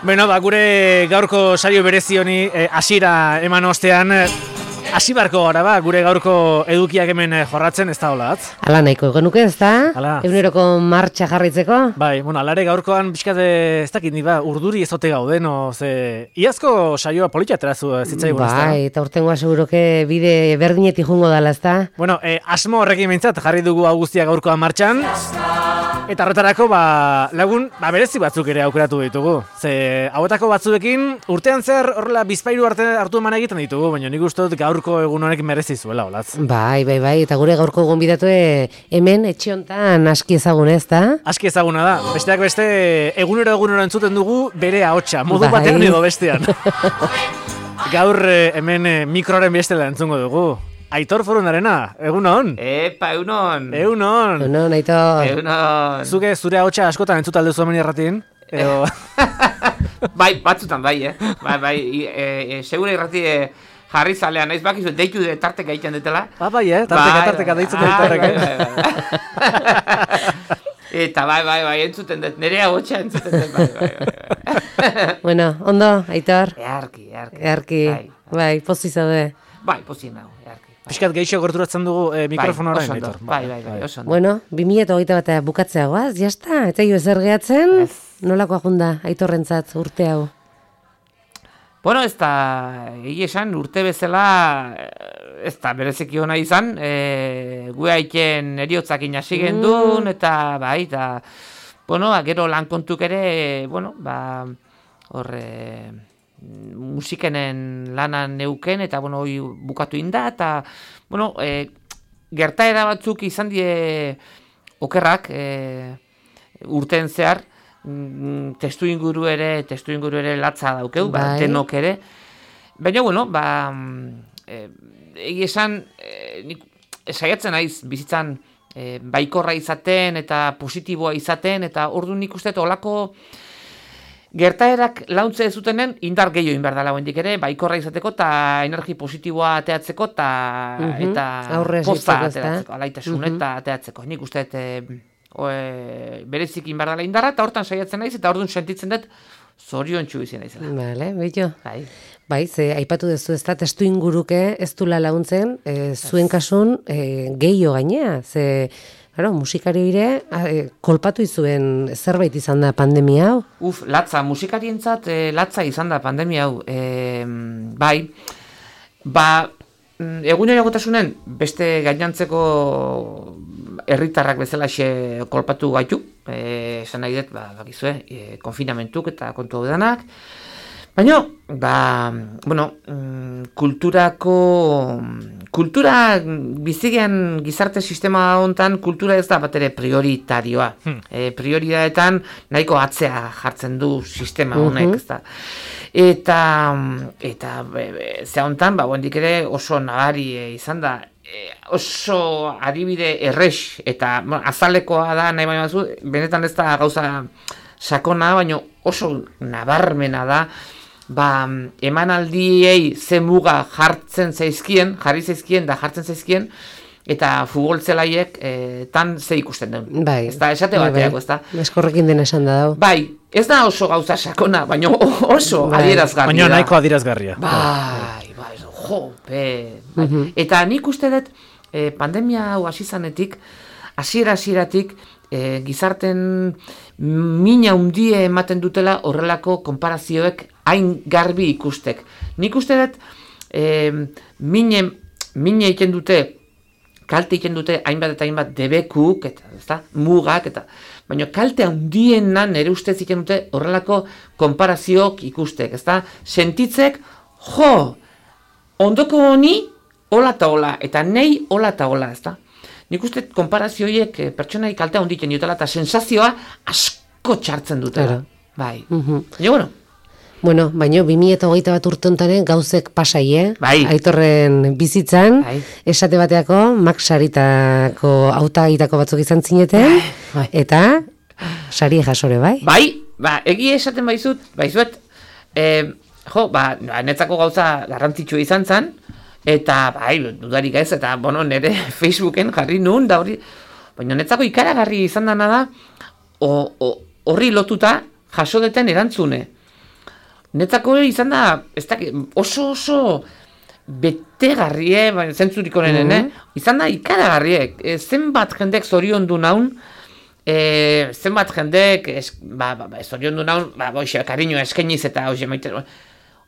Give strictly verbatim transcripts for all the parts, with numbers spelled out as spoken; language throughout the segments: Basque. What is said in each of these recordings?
Bueno, ba, gure gaurko saio berezi honi hasiera eh, eman ostean, hasi barko gara ba, gure gaurko edukiak hemen jorratzen, ez da hola, atz? Ala nahiko genuke, ez da? Hala. Eguneroko martxa jarraitzeko? Bai, bueno, alare gaurkoan pixkat ez dakit ni ba, urduri ezote gauden, o, ze... Iazko saioa politxaterazu zitzaigun, ez da? Bai, eta urtengoa seguroke bide berdinetik jungo dala, ez da? Bueno, eh, asmo horrekin behintzat jarri dugu hau guztia gaurkoan martxan. Eta horretarako, ba, lagun, ba, berezi batzuk ere aukeratu ditugu. Ze, hauetako batzuekin, urtean zer horrela bizpairu arte hartu eman egiten ditugu, baina nik uste dut gaurko egun honek merezi zuela, olatz. Bai, bai, bai, eta gure gaurko gonbidatue hemen etxe hontan aski ezagun, ez da? Aski ezaguna da, besteak beste egunero egunero entzuten dugu bere ahotsa, modu Bai. batean edo bestean. Gaur eh, hemen eh, mikroaren bestela entzungo dugu. Aitor Forundarena, egunon? Epa, egunon. Egunon. No, Aitor. Egunon. Zuke zure ahotsa askotan entzuta alduzu hemen irratin? Edo... Bai, batzutan bai, eh? Bai, bai, e, e, segure irrati e, jarri zalean, naiz bakizu, deitu de tarteka egiten dutela. Ba, bai, eh? Tarteka, Bai, tarteka, bai, deitzen bai, dut tarteka. bai, bai. Eta bai, bai, bai, entzuten dut, nire ahotsa entzuten dut, bai, bai, bai. Bueno, ondo, Aitor? Earki, earki. Earki, Bai, bai, pozi zaude. bai pozien hau, earki. Piskat geixo gorturatzen dugu eh, mikrofona Bai, orain, oso ondo, Aitor. bai, bai, bai, oso ondo. Bueno, bi mila hogeita bat bukatzea goaz, jazta, eta jo ezer gehatzen, Ez. nolako ajunda Aitorrentzat urte hau? Bueno, ez da, egi esan, urte bezala, ez da, berezeki hona izan, e, gu haiken eriotzakin hasi gendun, eta, bai, eta, bueno, gero lan kontuk ere, bueno, ba, horre, musikenen lanan neuken, eta, bueno, hoi bukatu inda, eta, bueno, e, gertaera batzuk izan die okerrak, e, urteen zehar, testu inguru ere, testu inguru ere latza daukeu, ba, Bai. denok ere. Baina, bueno, ba, e, egi esan, e, nik saiatzen naiz bizitzan e, baikorra izaten eta positiboa izaten, eta ordu nik uste olako gertaerak launtze ez zutenen indar gehiago inbar dela hendik ere, baikorra izateko eta energi positiboa ateatzeko ta, Mhm, eta aurre posta esitzeko, ezta? ateratzeko, alaitasun Mhm. eta ateatzeko. Nik uste dut e, e, berezik inbar dela indarra, eta hortan saiatzen naiz, eta orduan sentitzen dut zorion txu izan naizela. Vale, beito. Bai. Bai, ze aipatu duzu ez da, testu inguruke ez dula laguntzen, e, zuen kasun e, gehiago gainea, ze, claro, musikari ere e, kolpatu izuen zerbait izan da pandemia hau. Uf, latza, musikarientzat e, latza izan da pandemia hau. E, bai, ba, eguneragotasunen beste gainantzeko herritarrak bezala xe kolpatu gaitu. E, esan nahi dut, ba, bakizue, e, konfinamentuk eta kontu hau danak. Baina, ba, bueno, kulturako, kultura bizigean gizarte sistema hontan kultura ez da bat ere prioritarioa. Hmm. E, prioritateetan nahiko atzea jartzen du sistema honek, Mhm. ez da. Eta, eta ze hontan, ba, hondik ere oso nabari e, izan da, e, oso adibide errex, eta bueno, azalekoa da, nahi baina bazu, benetan ez da gauza sakona, baina oso nabarmena da, ba, emanaldiei ze muga jartzen zaizkien, jarri zaizkien da jartzen zaizkien, eta futbolzelaiek e, tan ze ikusten duen. Bai. Ez da, esate bateako, ez da. Eskorrekin dena esan da dau. Bai, ez da oso gauza sakona, baina oso Bai. adierazgarria Baina da. nahiko adierazgarria. Bai, bai, jo, be, bai. Mhm. Eta nik uste dut, e, pandemia hau hasi zanetik, hasiera hasieratik, e, gizarten mina hundie ematen dutela horrelako konparazioek hain garbi ikustek. Nik uste dut, e, mine, mine egiten dute, kalte egiten dute hainbat eta hainbat debekuk, eta, ezta, mugak, eta, baina kalte handiena nire ustez egiten dute horrelako konparazioak ikustek, ezta, sentitzek, jo, ondoko honi, hola eta hola, eta nei hola eta hola, ezta. Nik uste konparazioiek eh, pertsonai kaltea honditzen dutela, eta sensazioa asko txartzen dutela. Claro. Bai. Mhm. Baina, bueno, Bueno, baina bi mila hogeita bat urte hontaren gauzek pasai, eh? Bai. Aitorren bizitzan, Bai. esate bateako, Max Saritako hautagaitako batzuk izan zineten, Bai. eta sari jasore, bai? bai, ba, egia esaten baizut, baizuet, e, jo, ba, netzako gauza garrantzitsua izan zen, eta, bai, dudarik ez, eta, bueno, nire Facebooken jarri nun, da hori, baina netzako ikaragarri izan dana da, o- o- horri lotuta jaso deten erantzune. netzako izan da, ez da, oso oso betegarrie, baina zentzurik onenen, mm-hmm. eh? Izan da ikaragarriek, e, zenbat jendek zorion du naun, e, zenbat jendek, es, ba, ba, ba, zorion du naun, ba, boixe, kariño eskeniz eta hoxe maite,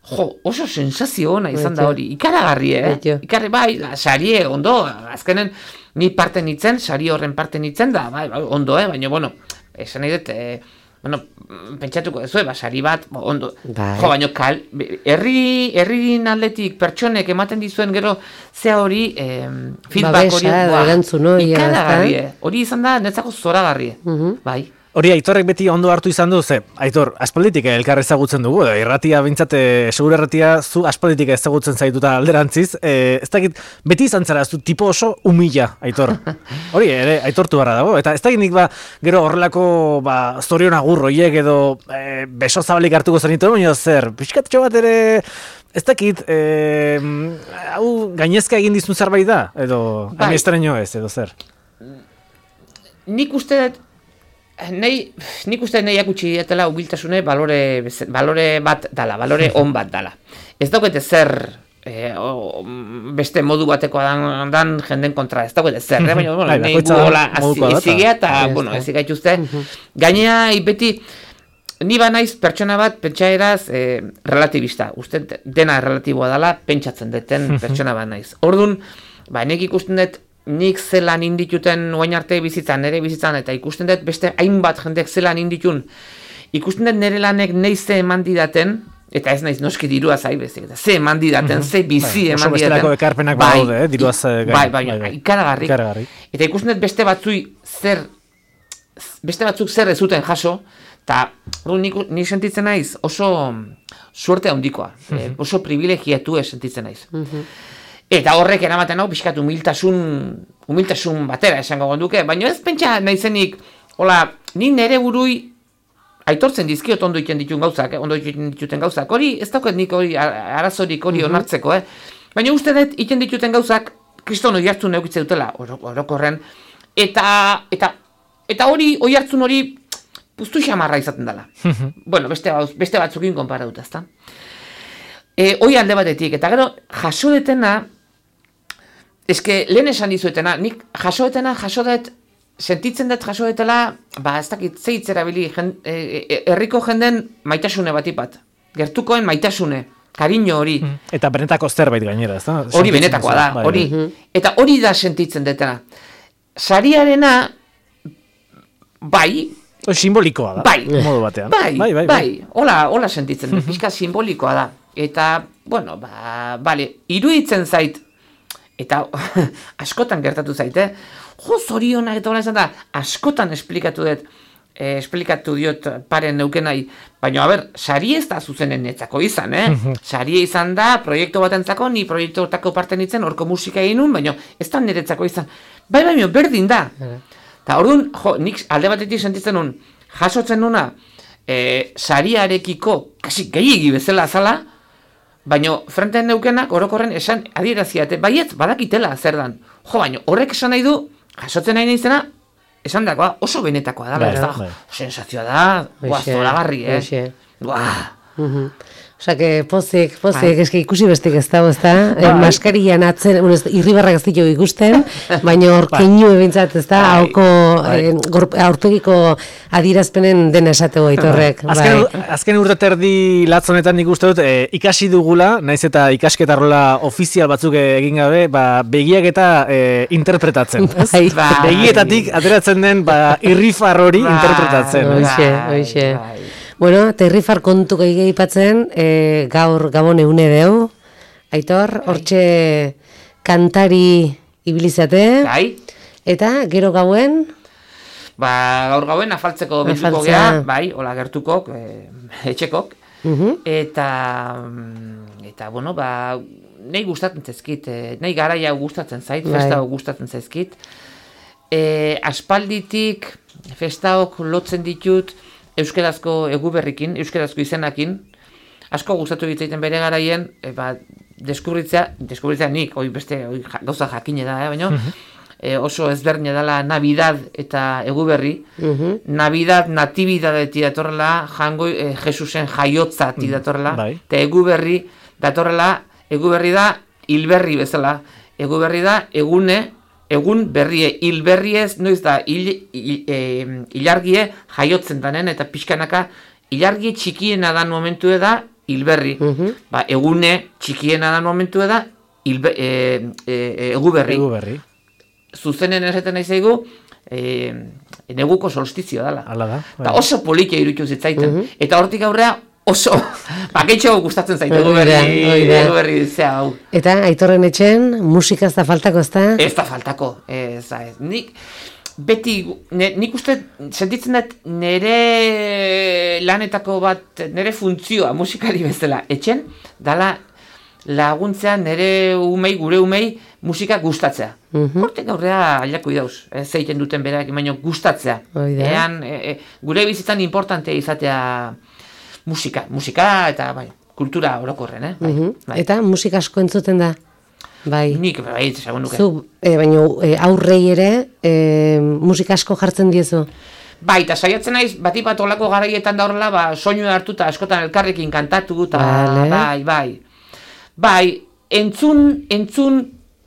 jo, oso sensazio ona izan da hori, ikaragarri, eh? Ikarri, bai, la, sarie, ondo, azkenen, ni parte nitzen, sari horren parte nitzen da, bai, bai, ondo, eh? Baina, bueno, esan nahi dut, eh, bueno, pentsatuko dezu, eba, sari bat, ondo, bai. Jo, baina, kal, herri, herrin atletik pertsonek ematen dizuen gero, zea hori, eh, feedback hori, ba, ikaragarri, eh? Hori izan da, netzako zoragarri, uh-huh. Bai. Hori Aitorrek beti ondo hartu izan du, ze, Aitor, aspalditik elkar ezagutzen dugu, edo, irratia bintzate, segur erratia zu aspalditik ezagutzen zaituta alderantziz, e, ez dakit, beti izan zara, zu tipo oso humila, Aitor. Hori, ere, aitortu barra dago, eta ez dakit nik ba, gero horrelako, ba, zorion agur hoiek edo e, beso zabalik hartuko zenitu, baina zer, pixkatxo bat ere, ez dakit, e, hau gainezka egin dizun zerbait da, edo, bai. Estraño ez, edo zer. Nik uste dut, Nei, nik uste nahiak utzi dietela humiltasune balore, balore bat dala, balore on bat dala. Ez daukete zer e, o, beste modu batekoa dan, dan jenden kontra, ez daukete zer, eh? Baina, bueno, nahi gu hola ezigea eta, bueno, ezigea ituzte. Gainea, beti, ni ba naiz pertsona bat pentsaeraz e, relativista. Uste dena relatiboa dala, pentsatzen deten pertsona bat naiz. Orduan, ba, nek ikusten dut, nik zelan indituten oain arte bizitzan, nire bizitzan, eta ikusten dut beste hainbat jendek zelan inditun, ikusten dut nire lanek nahi ze eman didaten, eta ez naiz noski dirua zai bezik, ze eman didaten, ze bizi eman didaten. Oso bestelako ekarpenak badaude, eh, diruaz gain. Bai, bai, bai, ikaragarri. Eta ikusten dut beste batzui zer, beste batzuk zer ez zuten jaso, eta nik, nik sentitzen naiz oso suerte handikoa, eh, oso privilegiatu sentitzen naiz. Eta horrek eramaten hau pixkat humiltasun, humiltasun batera esango gonduke, baina ez pentsa naizenik, hola, ni nere burui aitortzen dizkiot ondo iten dituen gauzak, eh? Ondo iten dituten gauzak, hori ez dauket nik hori arazorik hori mm-hmm. onartzeko, eh? Baina uste dut iten dituten gauzak kriston hori hartzun eukitze dutela, orokorren, eta, eta, eta hori, hori hartzun hori puztu xamarra izaten dela. Bueno, beste, beste batzukin konpara dut, ezta? E, hoi alde batetik, eta gero jaso detena, eske lehen esan dizuetena, nik jaso detena, jaso det, sentitzen dut jaso detela, ba ez dakit zeitzera bili, herriko jenden maitasune batipat, gertukoen maitasune, kariño hori. Eta benetako zerbait gainera, ez da? Hori benetakoa da, hori. Eta hori da sentitzen detena. Sariarena, bai, simbolikoa da, bai, modu batean. Bai, bai, bai, bai. Hola, hola sentitzen dut, pixka simbolikoa da. Eta, bueno, ba, bale, iruditzen zait, eta askotan gertatu zaite, jo, zorionak eta hola izan da, askotan esplikatu dut, eh, esplikatu diot paren neukenai, baina, a ber, sari ez da zuzenen netzako izan, eh? Sari izan da, proiektu batentzako, ni proiektu hortako parte nintzen, horko musika egin nun, baina ez da niretzako izan. Bai, baina, berdin da. Eta orduan, jo, nik alde batetik sentitzen nun, jasotzen nuna, eh, sariarekiko, kasi gehiagi bezala azala, baina frenten neukenak orokorren esan adieraziate, baiet badakitela zer dan. Jo, baina horrek esan nahi du, jasotzen nahi nahizena, esan dagoa oso benetakoa da, ez da, sensazioa da, guaz, zoragarri, eh? Guau. Osa, que pozik, pozik, eske ikusi bestik ez dago, ez da? Eh, maskarian atzen, bueno, irribarrak ez ditu ikusten, baina hor keinu ebintzat, ez da? Hauko, eh, aurpegiko adierazpenen dena esatego Aitorrek. Azken, azken urte terdi latzonetan nik uste dut, eh, ikasi dugula, naiz eta ikasketa rola ofizial batzuk egin gabe, ba, begiak eta eh, interpretatzen. Bai, bai. Begietatik ateratzen den, ba, irrifar hori interpretatzen. Oixe, oixe. Bueno, eta irrifar kontu gehi ipatzen, e, gaur gabon eune deu, Aitor, hortxe kantari ibilizate, Bai. Eta gero gauen? Ba, gaur gauen afaltzeko bilduko geha, bai, hola gertukok, e, etxekok, uh-huh. eta, eta, bueno, ba, nahi gustatzen zaizkit, e, nahi garaia gustatzen zait, bai. Festa gustatzen zaizkit, e, aspalditik festaok lotzen ditut, euskerazko eguberrikin, euskerazko izenakin, asko gustatu ditzaiten bere garaien, e, ba, deskubritzea, deskubritzea nik, hoi beste hoi, gauza jakine da, eh, baina, uh-huh. e, oso ezberdina dela Navidad eta Eguberri. Mhm. Navidad natibidadeti datorrela, jango e, Jesusen jaiotzati datorrela, bai. eta Eguberri datorrela, Eguberri da hilberri bezala. Eguberri da egune, egun berrie, hilberri ez, noiz da, hil, hil, e, ilargie jaiotzen danen, eta pixkanaka, ilargie txikiena dan momentu da, hilberri. Mhm. Ba, egune txikiena dan momentu da, hilbe, e, e, eguberri. Eguberri. Zuzenen esaten nahi zaigu, e, neguko solstizio dela. Hala da. Eta oso politia iruditu zitzaiten. Eta hortik aurrea oso, baketxo gustatzen zaite eguberri, eguberri zea hau. Eta Aitorren etxen, musika ez da faltako, ez da? Ez da faltako, ez da, ez. Nik, beti, ne, nik uste, sentitzen dut nire lanetako bat, nire funtzioa musikari bezala, etxen, dala laguntzea nire umei, gure umei, musika gustatzea. Mhm. Hortik aurrea aldako idauz, ez zeiten duten berak, baina gustatzea. Hoi da. Ean, e, e, gure bizitzan importantea izatea musika, musika eta bai, kultura orokorren, eh? Bai, Mhm. bai. Eta musika asko entzuten da? Bai. Nik, bai, esagun nuke. Zu, e, baina e, aurrei ere e, musika asko jartzen diezu? Bai, eta saiatzen naiz, bati bat olako garaietan da horrela, ba, soinu hartuta askotan elkarrekin kantatu, eta Vale. bai, bai. Bai, entzun, entzun,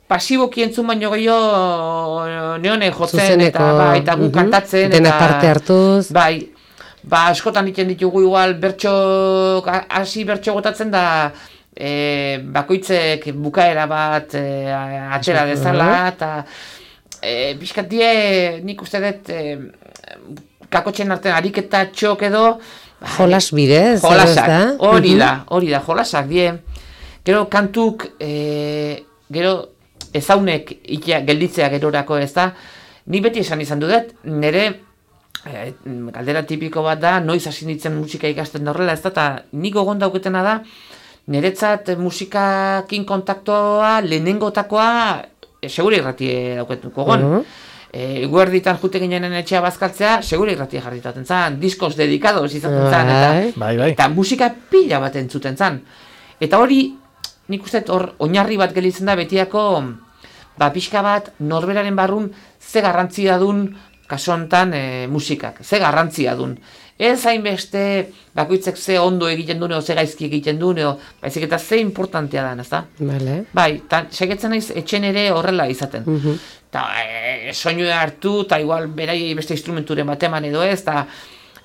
pasiboki entzun baino gehiago neone jotzen, Zuzeneko, eta bai, eta gu mhm. kantatzen, Dena eta parte hartuz. bai, ba, askotan egiten ditugu igual bertso, hasi bertso gotatzen da, e, bakoitzek bukaera bat e, atxera dezala, eta e, pixkat die, nik uste dut, e, kakotxen artean ariketa txok edo, bai, Jolas bidez, jolasak, ez da? hori Mhm. da, hori da, jolasak die. Gero kantuk, e, gero ezaunek ikia, gelditzea gerorako ez da, ni beti esan izan dudet, nire e, galdera tipiko bat da, noiz hasi nintzen musika ikasten da horrela ez da, eta nik gogon dauketena da, niretzat musikakin kontaktoa, lehenengotakoa, e, segure irratie dauketuko gogon. Mhm. E, guerditan jute ginen etxea bazkaltzea, segure irratia jarritaten zan, diskos dedikados izaten zan, eta, Bai. Bai, bai. eta musika pila bat entzuten zan. Eta hori, nik uste hor oinarri bat gelitzen da betiako, ba, pixka bat norberaren barrun ze garrantzia dun kasu honetan e, musikak, ze garrantzia dun. Ez hainbeste bakoitzek ze ondo egiten duen, o ze gaizki egiten duen, o, baizik eta ze importantea da, ezta? Vale. Bai, eta segetzen naiz etxen ere horrela izaten. Mhm. Eta e, soinu hartu, eta igual berai beste instrumenturen bat eman edo ez, eta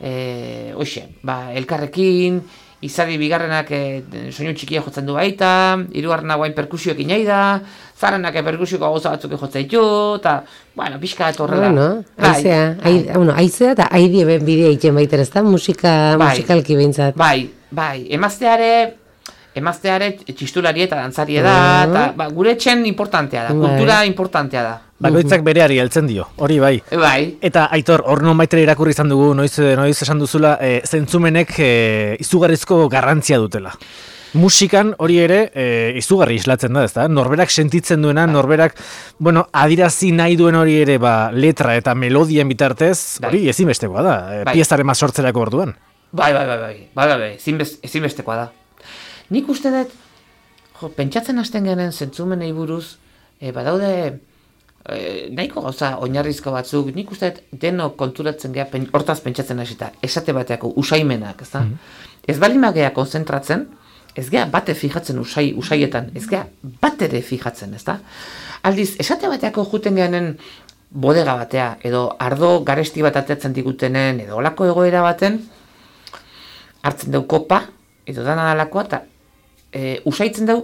e, hoxe, ba, elkarrekin, izadi bigarrenak e, soinu txikia jotzen du baita, hirugarrena guain perkusioekin nahi da, zarrenak perkusioko gauza batzuk jotzen ditu, eta, bueno, pixka eta horrela. Bueno, Bai, aizea, ai, bueno, aizea eta aidie ben bidea egiten baiter, ez da? Musika, Bai. musikalki behintzat. Bai, bai, emazteare, emazteare txistulari eta dantzari da, Ah. eta ba, gure etxen importantea da, Bai. kultura importantea da. Bakoitzak bereari heltzen dio, hori bai. Bai, Eta Aitor, hor non baitere irakurri izan dugu, noiz, noiz esan duzula, e, zentzumenek e, izugarrizko garrantzia dutela. Musikan hori ere e, izugarri islatzen da, ezta? Norberak sentitzen duena, norberak, bueno, adirazi nahi duen hori ere, ba, letra eta melodien bitartez, Bai. hori ezinbestekoa da, e, Bai. piezaren sortzerako orduan. bai, bai, bai, bai, bai, bai, bai, ezinbest- ezinbestekoa da. Nik uste dut, jo, pentsatzen hasten genen zentzumenei buruz, e, badaude, e, nahiko gauza oinarrizko batzuk, nik uste dut denok konturatzen geha, pen, hortaz pentsatzen hasita, esate bateako usaimenak, ez da? Ez bali magea konzentratzen, ez geha bate fijatzen usai, usaietan, ez geha bat ere fijatzen, ez da? Aldiz, esate bateako juten gehanen bodega batea, edo ardo garesti bat atetzen digutenen, edo olako egoera baten, hartzen dau kopa, edo dana dalakoa, eta e, usaitzen dau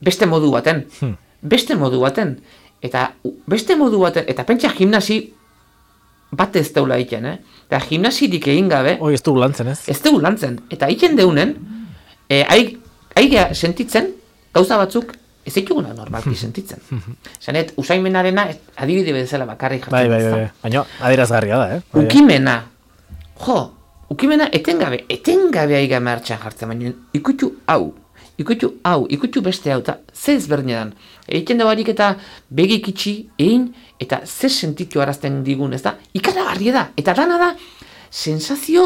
beste modu baten. Hmm. Beste modu baten. Eta u- beste modu baten, eta pentsa gimnasi bat ez daula egiten, eh? Eta gimnasirik egin gabe, Hoi ez dugu lantzen, ez? ez dugu lantzen. Eta egiten deunen, e, aigea sentitzen, gauza batzuk, ez dituguna normalki sentitzen. Zanet, usaimenarena ez- adibide bezala bakarrik jartzen. Bai, bai, ezta? bai. Baina, adierazgarria da, eh? Bai, bai. Ukimena, jo, ukimena etengabe, etengabe aiga martxan jartzen, baina ikutu hau, ikutu hau, ikutu beste hau, eta ze ezberdinetan. Egiten da barik eta begik itxi, egin, eta ze sentitu arazten digun, ez da? Ikaragarria da, eta dana da, sensazio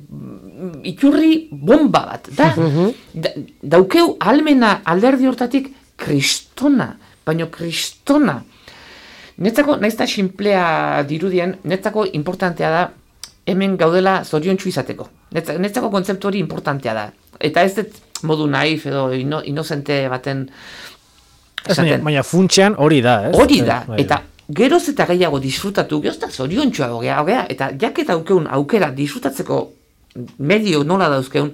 mm, iturri bomba bat, da, da daukeu almena alderdi hortatik kristona, baino kristona. netzako, naizta sinplea dirudien, netzako importantea da, hemen gaudela zoriontsu izateko. Netzako kontzeptu hori importantea da. Eta ez dut modu naif edo ino, inozente baten esaten. Baina funtsean hori da, ez? Hori da, eta geroz eta gehiago disfrutatu, geroz eta zoriontsuago gea, eta jaketa aukeun aukera disfrutatzeko medio nola dauzkeun,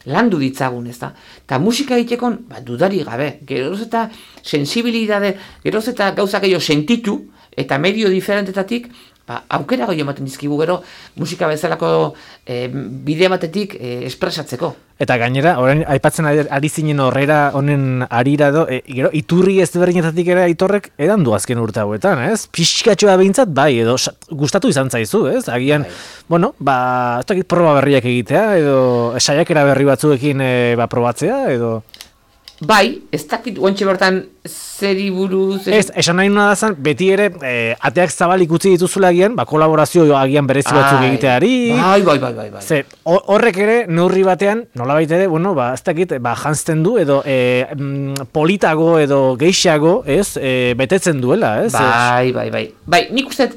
landu ditzagun, ez da? Eta musika egiteko, ba, dudari gabe, geroz eta sensibilidade, geroz eta gauza gehiago sentitu, eta medio diferentetatik, ba, aukera gehiago ematen dizkigu gero, musika bezalako e, bide batetik e, espresatzeko. Eta gainera, orain aipatzen ari, ari zinen horrera honen arira do, e, gero, iturri ezberdinetatik ere Aitorrek edan du azken urte hauetan, ez? Pixkatxoa behintzat, bai, edo gustatu izan zaizu, ez? Agian, bai. Bueno, ba, ez dakit proba berriak egitea, edo saiakera berri batzuekin e, ba, probatzea, edo... Bai, ez dakit guantxe bertan zeri buruz... Ez, esan nahi nuna dazan, beti ere, e, ateak zabalik utzi dituzula agian, ba, kolaborazio agian berezi batzuk egiteari... Bai, bai, bai, bai, bai. Ze, horrek ere, neurri batean, nolabait ere, bueno, ba, ez dakit, ba, janzten du, edo e, politago, edo geixago, ez, e, betetzen duela, ez? Bai, bai, bai. Bai, nik uste,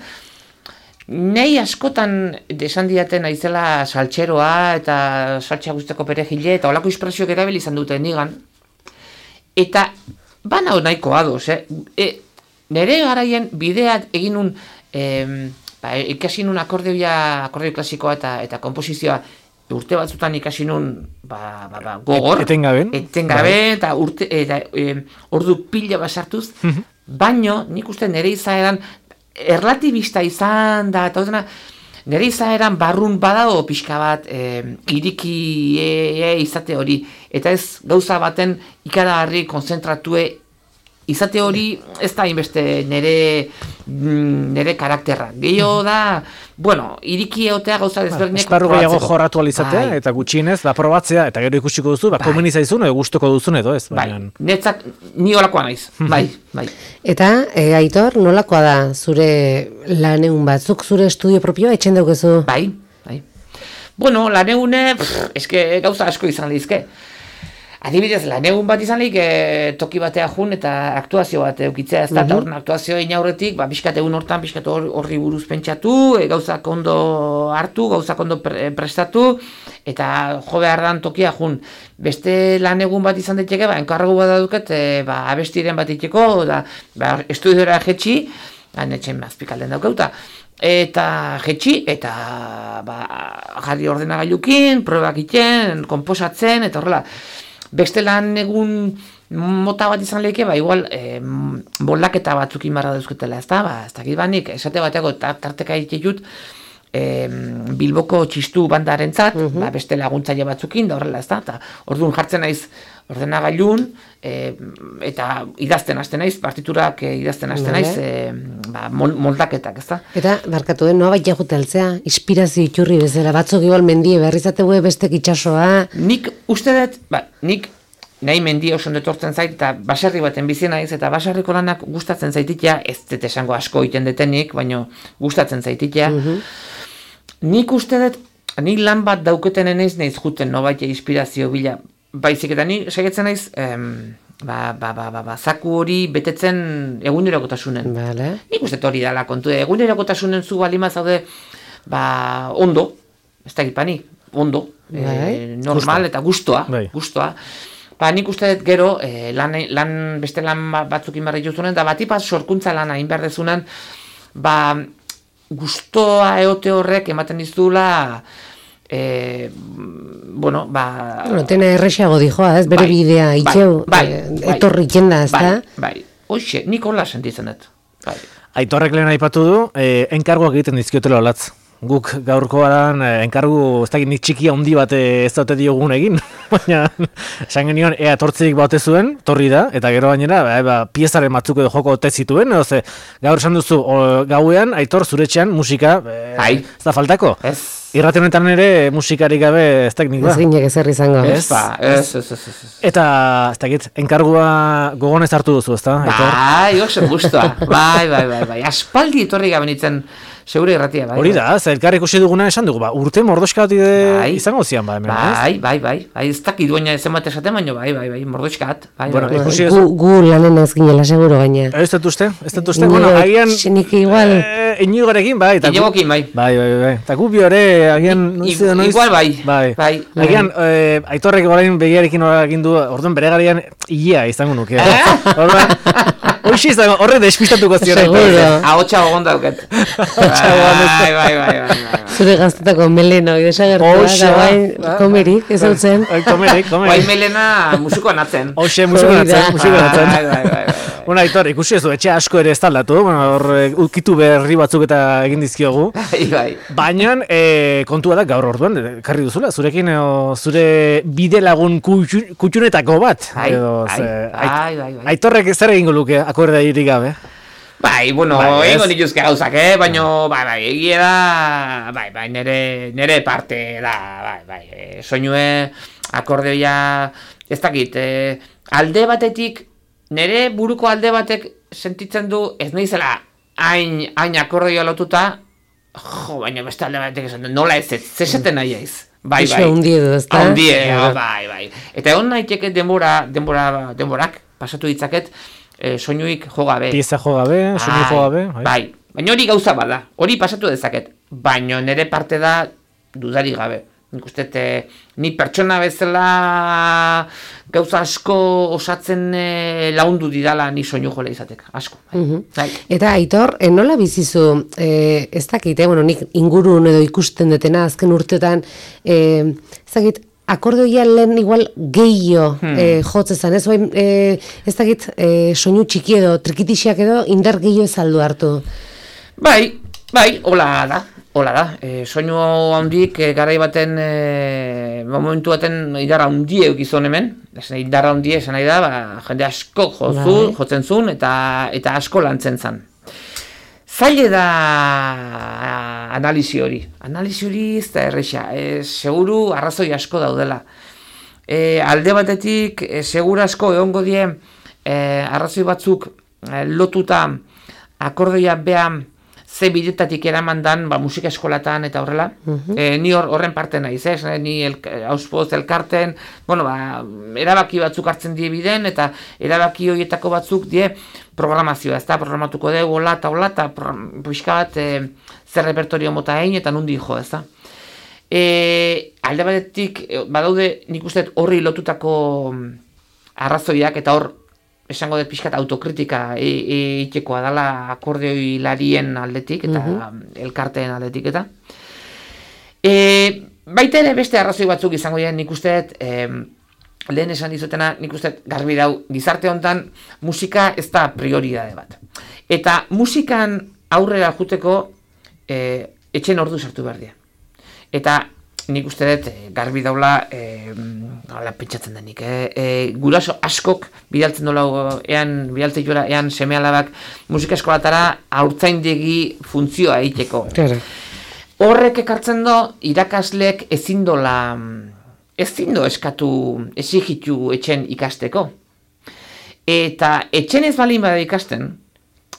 nei askotan desan diaten aizela saltxeroa, eta saltxa guzteko perejile, eta olako espresioak erabili izan dute nigan, eta bana nahiko ados, eh? E, nere garaien bideat egin un, eh, ba, ikasi nun akordeoia, akordeo klasikoa eta eta komposizioa urte batzutan ikasi nun, ba, ba, ba, gogor, etengabe, etengabe eta urte, eta e, ordu pila basartuz, baino nik uste nere izaeran erlatibista izan da, eta odena, nire izaeran barrun badago pixka bat e, iriki e, e, izate hori, eta ez gauza baten ikaragarri konzentratue izate hori ez da inbeste nire, nire karakterra. Gehiago da, bueno, iriki egotea gauza desberdinek esparru gehiago jorratu alizatea, bai. Eta gutxienez, ba, probatzea, eta gero ikusiko duzu, ba, bai. Komeni zaizun, edo gustuko duzun edo ez. Bai, netzat ni olakoa naiz, bai, bai. Eta, e, Aitor, nolakoa da zure laneun batzuk, zure estudio propioa etxen daukezu? Bai, bai. Bueno, laneune, eske gauza asko izan lehizke. Adibidez, lan egun bat izan lehik, e, toki batea jun eta aktuazio bat eukitzea, ez da, eta horren aktuazioa inaurretik, ba, biskat egun hortan, biskat horri buruz pentsatu, e, gauzak ondo hartu, gauzak ondo pre, prestatu, eta jo behar dan tokia jun. Beste lan egun bat izan daiteke, ba, enkarregu bat duket, e, ba, abestiren bat itxeko, da, ba, estudiora jetxi, ba, netxen azpikalden daukeuta, eta jetxi, eta ba, jarri ordenagailukin, probak iten, konposatzen, eta horrela. Beste lan egun mota bat izan lehike, ba, igual, e, moldaketa batzukin barra dauzketela, ez da, ba, ez dakit banik, esate bateako tarteka itxetut, e, Bilboko txistu bandarentzat, uh -huh. ba, beste laguntzaile batzukin, da horrela, ez da, eta orduan jartzen naiz ordenagailun, e, eta idazten hasten naiz, partiturak e, idazten hasten naiz, e, ba, moldaketak, ez da. Eta, barkatu den, noa baita juteltzea, inspirazio iturri bezala, batzuk igual mendie berrizategue bestek itxasoa. Nik uste dut, ba, nik nahi mendia oso detortzen zait, eta baserri baten bizi naiz, eta baserriko lanak gustatzen zaititea, ez dut esango asko iten detenik, baino gustatzen zaititea. Uh -huh. Nik uste dut, nik lan bat dauketen eneiz naiz juten, no baita inspirazio bila, baizik eta ni segetzen naiz, em, ba, ba, ba, ba, ba, zaku hori betetzen egunerokotasunen. Vale. Nik uste hori dala kontu, egunerokotasunen zu balima zaude, ba, ondo, ez da gipani, ondo, e, normal Gusto. Eta gustoa, Bai. gustoa. Ba, nik uste dut gero, e, lan, lan, beste lan batzukin barri juzunen, da batipat sorkuntza lana hain behar dezunen, ba, gustoa eote horrek ematen dizula, E, bueno, ba... Bueno, tena errexago dijoa, ez, bere bai, bidea, itxeu, bai, bai, etorri itxenda, ez bai, da? Bai, hoxe, nik hola sentitzen dut. Bai. Aitorrek lehen aipatu du, eh, enkarguak egiten dizkiotela olatz. Guk gaurkoan eh, enkargu, ez dakit nik txikia handi bat ez daute diogun egin, baina esan genion ea tortzik baute zuen, torri da, eta gero gainera, ba, ba, piezaren batzuk edo joko ote zituen, edo ze, gaur esan duzu, o, gauean, Aitor, zuretxean, musika, eh, ez da faltako? Ez. Irrate honetan ere musikarik gabe ez dakit nik ba. Ez ginek ezer izango. Ez, ba, ez, ez, ez, ez. Eta, ez dakit, enkargua gogonez hartu duzu, ez da? Bai, oso guztua, bai, bai, bai, bai, aspaldi etorri gabe nintzen segure irratia, bai. Hori da, ze elkar ikusi duguna esan dugu, ba, urte mordoxka bat Bai. izango zian, ba, hemen, ez? Bai, bai, bai, bai, ez dakit duena ez emate esaten, baina bai, bai, bai, mordoxkat, bai, Bueno, bai, bai. ikusi ez- Gu, gu lanen ez ginela, seguro gaina. Ez dut uste, ez dut uste, bueno, Nik- agian... nik igual... Eh, Inigorekin, bai. eta gu- Inigokin, bai. Bai, bai, bai. Eta gu bi ore, agian... I- noiz i- edo noiz- igual bai, Bai. bai. Agian, eh, Aitorrek orain begiarekin hori egin du, orduan bere garian ilea izango nuke. Orduan, hoxe izango, horre despistatuko ziren. Seguro. Ahotsa gogon dauket. Ahotsa gogon ez. Bai, bai, bai, bai, bai. Zure gaztetako melena, hori desagertua, Hoxe, da guain ba. komerik, ez hau zen. Bai, Komerik, Guai komerik. melena musikoan atzen. Hoxe, musikoan Hori da. atzen, musikoan Bai, atzen. bai, bai, bai, bai. Bueno, Aitor, ikusi ez du, etxe asko ere ez taldatu, bueno, hor, eh, ukitu berri batzuk eta egin dizkiogu. Bai, bai. Baina, e, kontua da gaur orduan, karri duzula, zurekin o, zure bide lagun kutxu- kutxunetako bat. Bai, edo, bai, ze, bai, bai, bai. Aitorrek zer egingo luke, akordea irik gabe. Bai, bueno, Bai, ez. egingo nituzke gauzak, eh? Baina, bai, bai, egia da, bai, bai, nere, nere parte da, bai, bai, e, soinue, akordeoia, ez dakit, e, alde batetik, nere buruko alde batek sentitzen du, ez naizela, hain, hain akordeoia lotuta, jo, baina beste alde batek esan du, nola ez ez, zeseten nahi aiz. Bai, Iso bai. handi edo, ezta? Handi edo, Ja. bai, bai. Eta egon naiteke denbora, denbora, denborak, pasatu ditzaket, e, soinuik jo gabe. Pieza jo gabe, soinu jo gabe. Bai, baina hori gauza bada, hori pasatu dezaket, baina nire parte da dudari gabe. Nik uste, e, ni pertsona bezala gauza asko osatzen e, laundu didala ni soinu jola izatek, asko. Bai. Mhm. Bai. Eta Aitor, eh, nola bizizu, eh, ez dakit, eh, bueno, nik ingurun edo ikusten dutena azken urteotan, eh, ez dakit, akordeoia lehen igual gehiago Hmm. eh, jotzezan, ez bain, eh, ez dakit, eh, soinu txiki edo, trikitixak edo, indar gehiago ez aldu hartu. Bai, bai, hola da, hola da. E, soinu handik e, garai baten, e, momentu baten idara handie eukizun hemen. Esan, idara handie esan nahi da, ba, jende asko jozu, Bai. jotzen zuen eta, eta asko lantzen zan. Zaile da analisi hori. Analisi hori ez da erresa. E, seguru arrazoi asko daudela. E, alde batetik, e, segura asko egongo die e, arrazoi batzuk e, lotuta akordeoia beha ze bidetatik eraman dan, ba, musika eskolatan eta horrela. E, ni hor, horren parte naiz, ez? Ni el, auspoz elkarten, bueno, ba, erabaki batzuk hartzen die biden, eta erabaki horietako batzuk die programazioa, ez da, programatuko dugu, hola eta hola, eta pixka bat e, zer repertorio mota egin, eta nundi jo, ez da. E, alde batetik, e, badaude, nik uste horri lotutako arrazoiak, eta hor, esango dut pixkat autokritika egitekoa dela akordeoilarien aldetik eta elkarteen aldetik eta. E, baita ere beste arrazoi batzuk izango dira nik uste dut, e, lehen esan dizutena nik uste dut garbi dau, gizarte honetan musika ez da prioridade bat. Eta musikan aurrera juteko e, etxen ordu sartu behar dira. Eta nik uste dut, e, garbi daula, e, hala pentsatzen denik, e, e, guraso askok bidaltzen dola, ean, bidaltzen jola, ean seme alabak musika eskolatara haurtzaindegi funtzioa egiteko. Claro. Horrek ekartzen do, irakasleek ezin dola, ezin do eskatu, exigitu etxen ikasteko. Eta etxen ez balin bada ikasten,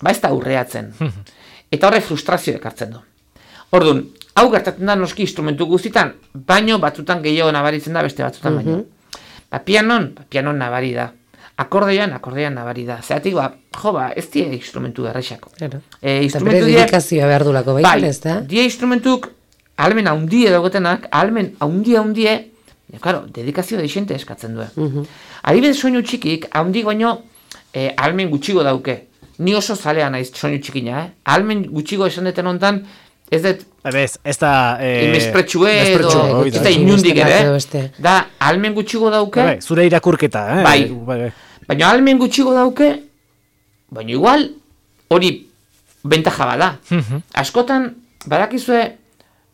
ba ez da aurreatzen. Eta horrek frustrazio ekartzen du. Orduan, hau gertatzen da noski instrumentu guztitan, baino batzutan gehiago nabaritzen da beste batzutan baino. Ba, pianon, ba, pianon nabari da. Akordean, akordean nabari da. Zeratik, ba, jo, ba, ez die instrumentu errexako. Claro. E, Eta bere die, dedikazioa behar dulako baita, bai, ez da? die instrumentuk, ahalmen haundie dagoetenak, ahalmen haundie haundie, ja, claro, dedikazio deixente eskatzen du. Mhm. Adibidez soinu txikik, haundik baino, eh, ahalmen gutxigo dauke. Ni oso zalea naiz soinu txikina, eh? Ahalmen gutxigo esan deten hontan, ez dut, Ez, ez da... Eh, mespretxue edo, mespretxua, hori ez da. da inundik Beste ere, bat edo beste. da, ahalmen gutxigo dauke, Bai, zure irakurketa, eh? Bai. bai, bai. baina ahalmen gutxigo dauke, baina igual, hori bentaja bada. Mhm. Askotan, badakizue,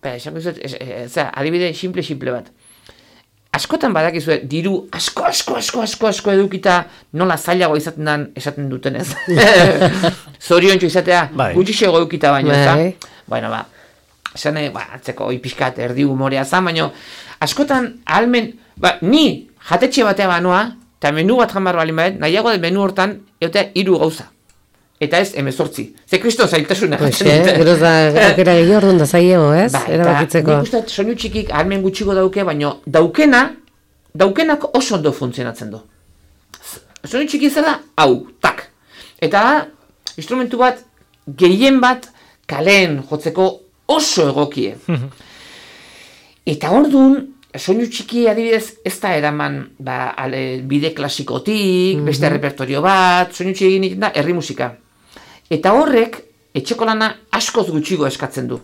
ba, esango dizuet, ez- ez- ez- adibide simple-simple bat. Askotan badakizue, diru asko, asko, asko, asko, asko edukita nola zailago izaten dan esaten duten ez. Zoriontxo izatea, Bai. gutxixego edukita baino, ez da? Bai. Bueno, ba, esan, eh, ba, atzeko oi pixkat erdi humorea zan, baino, askotan ahalmen, ba, ni jatetxe batea banoa, eta menu bat jamar balin badet, nahiago den menu hortan, egotea hiru gauza. eta ez emezortzi. Ze kriston zailtasuna. Hoxe, geroz da, aukera gehiago orduan da zailego, ez? Ba, Erabakitzeko. Nik uste soinu txikik ahalmen gutxiko dauke, baina daukena, daukenak oso ondo funtzionatzen du. Soinu txiki zela, hau, tak. Eta instrumentu bat, gehien bat, kaleen jotzeko oso egokie. Eta orduan, soinu txiki adibidez ez da eraman ba, ale, bide klasikotik, mm-hmm. beste repertorio bat, soinu txiki egin da, herri musika. Eta horrek, etxeko lana askoz gutxigo eskatzen du.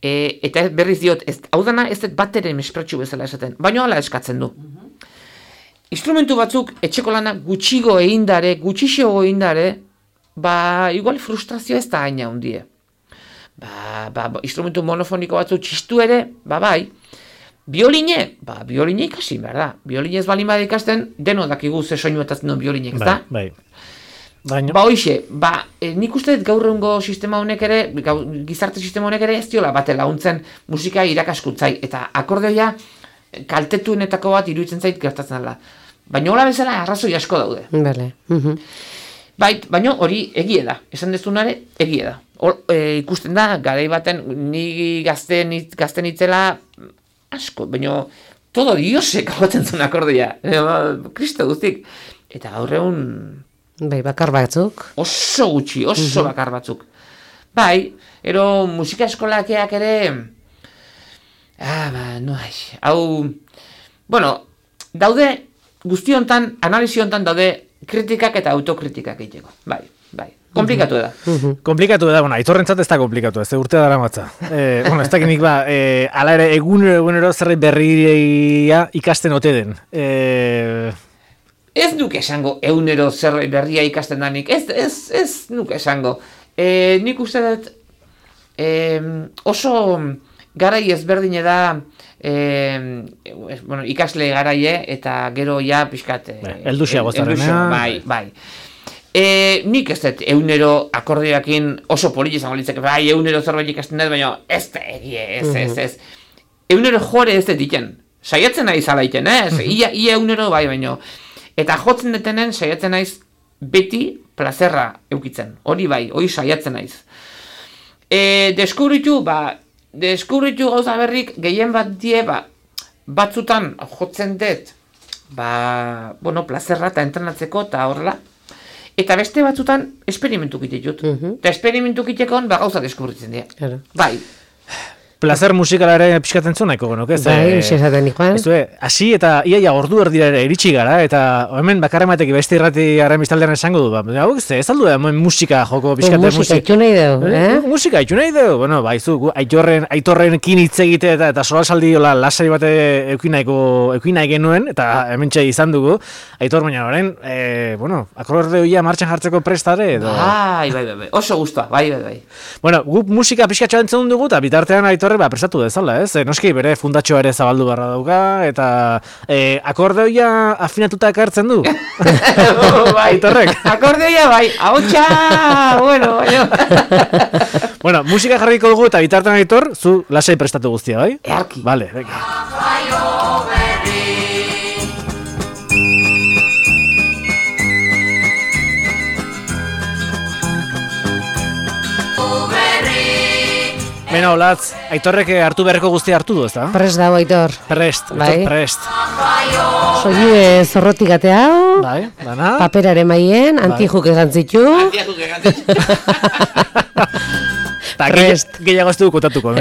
E, eta berriz diot, ez, hau dana ez dut bat ere mespratxu bezala esaten, baina hala eskatzen du. Mm-hmm. Instrumentu batzuk etxeko lana gutxigo egindare, gutxixo egindare, ba, igual frustrazio ez da haina hundie. Ba, ba, instrumentu monofoniko batzuk txistu ere, ba bai, bioline, ba, bioline ikasi, behar da. Bioline ez balin bada ikasten, deno dakigu ze soinu eta zen biolinek, ez da? Bai, bai. Ba, hoxe, ba, e, nik uste gaur egungo sistema honek ere, gau, gizarte sistema honek ere ez diola bate laguntzen musika irakaskuntzai, eta akordeoia kaltetuenetako bat iruditzen zait gertatzen dela. Baina hola bezala arrazoi asko daude. Bale. Uh-huh. Bai, baina hori egie da, esan dezunare egie da. Hor, e, ikusten da, garai baten, ni gazten, gazten itzela asko, baina todo diosek agotzen zuen akordia. E, Kristo guztik. Eta gaur egun... Bai, bakar batzuk. Oso gutxi, oso uh-huh. bakar batzuk. Bai, ero musika eskolakeak ere... Ah, ba, no, ai, hau... Bueno, daude, guzti hontan, analisi hontan daude kritikak eta autokritikak egiteko. Bai, bai. Komplikatu da. Uh-huh. Komplikatu da, bueno, aitorrentzat ez da komplikatu, ez da urte dara matza. Eh, bueno, ez dakinik ba, eh, ala ere egunero egunero zerbait berria ikasten ote den. Eh... Ez nuke esango egunero zerbait berria ikasten danik, ez, ez, ez nuke esango. Eh, nik uste dut eh, oso garai ezberdine da eh, bueno, ikasle garaie eta gero ja pixkat... Eh, eldusia gozarena. Bai, bai. E, nik ez dut egunero akordeoekin oso politi izango litzake, bai, egunero zerbait ikasten dut, baina ez da egie, ez, ez, ez. Egunero jore ez dut diken, saiatzen nahi zala iten, ez? Ia, ia egunero bai, baina. Eta jotzen detenen saiatzen naiz beti plazerra eukitzen, hori bai, hori saiatzen naiz. E, deskubritu, ba, deskubritu gauza berrik gehien bat die, ba, batzutan jotzen dut, ba, bueno, plazerra eta entrenatzeko eta horrela. Eta beste batzutan esperimentu kite dut. Uh-huh. Eta esperimentu kitekon ba gauza deskubritzen dira. Claro. Bai. Plazer musikala ere pixkatzen zuen nahiko genuke. Bai, esaten ikuan. Hasi eta iaia ordu erdira ere iritsi gara, eta hemen bakarra ematek beste irrati garen biztaldean esango du. Ba, hau ez aldu da musika joko pixkate musika. Musika itxu nahi dugu, eh? Musika itxu nahi dugu. Bueno, baizu, aitorren, aitorrenkin hitz egite eta, eta solasaldi hola lasai bate eukinaiko eukinai genuen, eta hementxe izan dugu. Aitor baina orain, e, bueno, akordeoia martxan jartzeko prestare edo... Bai, bai, bai, bai, oso guztua, bai, bai, bai. Bueno, gu musika pixkatxoa entzun dugu, eta bitartean Aitor ba, prestatu dezala, ez? E, noski bere fundatxoa ere zabaldu barra dauka, eta e, akordeoia afinatuta ekartzen du. Bai, Aitorrek. Akordeoia bai, ahotsa, bueno, baina. Bueno, musika jarriko dugu eta bitartean Aitor, zu lasai prestatu guztia, bai? Earki. Vale, venga. Bena, Olatz, Aitorrek hartu beharreko guztia hartu du, ezta? Prest dago, Aitor. Prest, bai. Prest. Soile zorrotik ate hau, bai, dana. Paperare maien, antijuk egantzitu. Antijuk egantzitu. Prest. Gehiago ez dugu kontatuko.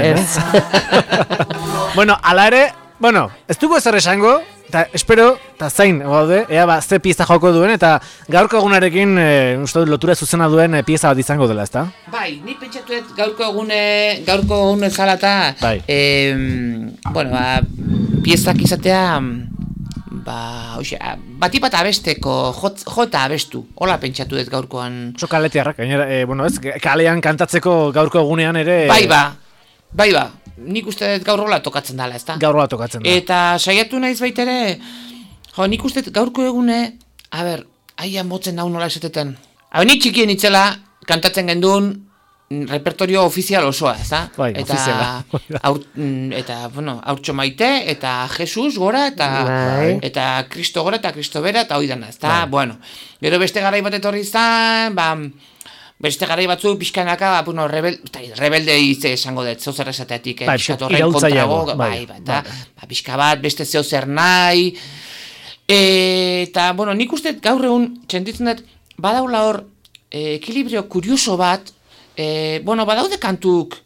Bueno, ala ere, bueno, ez dugu ezer esango, eta espero, eta zain, gaude, ea ba, ze pieza joko duen, eta gaurko egunarekin, e, uste dut, lotura zuzena duen e, pieza bat izango dela, ezta? Bai, ni pentsatuet gaurko egune, gaurko egune zalata, bai. eh, bueno, ba, piezak izatea, ba, oxe, bati bat abesteko, jot, jota abestu, hola pentsatuet gaurkoan. Oso kaletiarrak, gainera, e, bueno, ez, kalean kantatzeko gaurko egunean ere... Bai ba, bai ba. Nik uste dut gaur rola tokatzen dela, ezta? Gaur rola tokatzen da. Eta saiatu naiz baitere, jo, nik uste dut gaurko egune, a ber, aia motzen hau nola esatetan. Habe, nik txikien itzela, kantatzen gendun, repertorio ofizial osoa, ezta? Bai, eta, ofiziala. Aur, eta, bueno, Haurtxo Maite, eta Jesus gora, eta, bai. eta Kristo gora, eta Kristo bera, eta hoi dana, ezta? Bai. Bueno, gero beste garai bat etorri izan, ba... beste garai batzuk pixkanaka, bueno, rebel, rebelde izte esango dut, zeu zer esatetik, eh, bai, pixkat horren kontrago, bai, bai, bai, eta bai. Pixka bat, beste zeu zer nahi, eta, bueno, nik uste gaur egun, txentitzen dut, badaula hor, e, ekilibrio kurioso bat, e, bueno, badaude kantuk,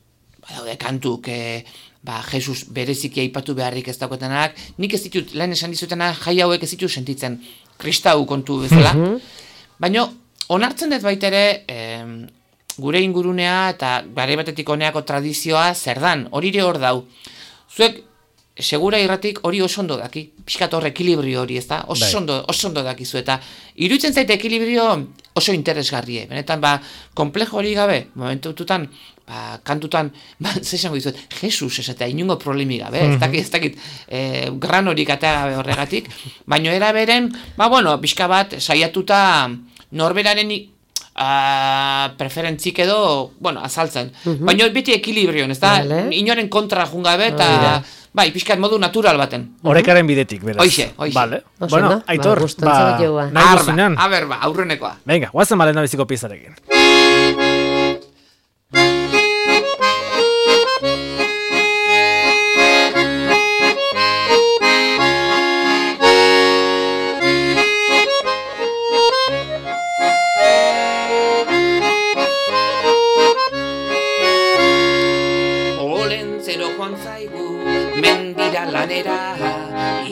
badaude kantuk, e, ba, Jesus bereziki aipatu beharrik ez daukatenak, nik ez ditut, lehen esan dizutenak, jai hauek ez ditut sentitzen, kristau kontu bezala, mm-hmm. baina, onartzen dut baitere, eh, gure ingurunea eta garai batetik honeako tradizioa zer dan, hori ere hor dau. Zuek, segura irratik hori oso ondo daki, pixkat hor ekilibrio hori, ez da? Oso ondo, oso ondo dakizu, eta iruditzen zaite ekilibrio oso interesgarrie. Benetan, ba, komplejo hori gabe, momentututan, ba, kantutan, ba, zesango dizuet, Jesus esatea, inungo problemi gabe, ez dakit, ez dakit, eh, gran horik atea gabe horregatik, baino era beren, ba, bueno, pixka bat, saiatuta, norberaren uh, preferentzik edo, bueno, azaltzen. Uh-huh. Baina beti ekilibrion, ez da? Vale. Inoren kontra jungabe eta, oh, bai, pixkat modu natural baten. Horekaren bidetik, beraz. Hoixe, hoixe. Vale. Bueno, Aitor, ba, ba, nahi guzinan. A ber, ba, aurrenekoa. Venga, guazen balen nabiziko pizarekin.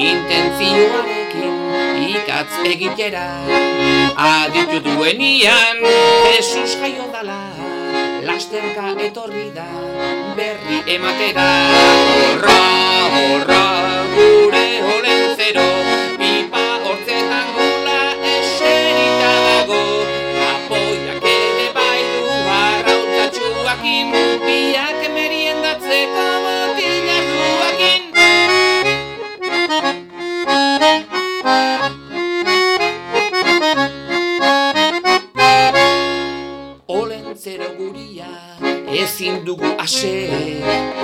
Intentzioarekin ikatz egitera, aditu duenian Jesus jaio dala, lasterka etorri da berri ematera. Horra, horra, gure olentzero, pipa hortzetan gula eserita dago, apoiak ere bai du arrautatxuakin, biak meriendatzeko botilak duakin. Olentzero guria ezin dugu ase,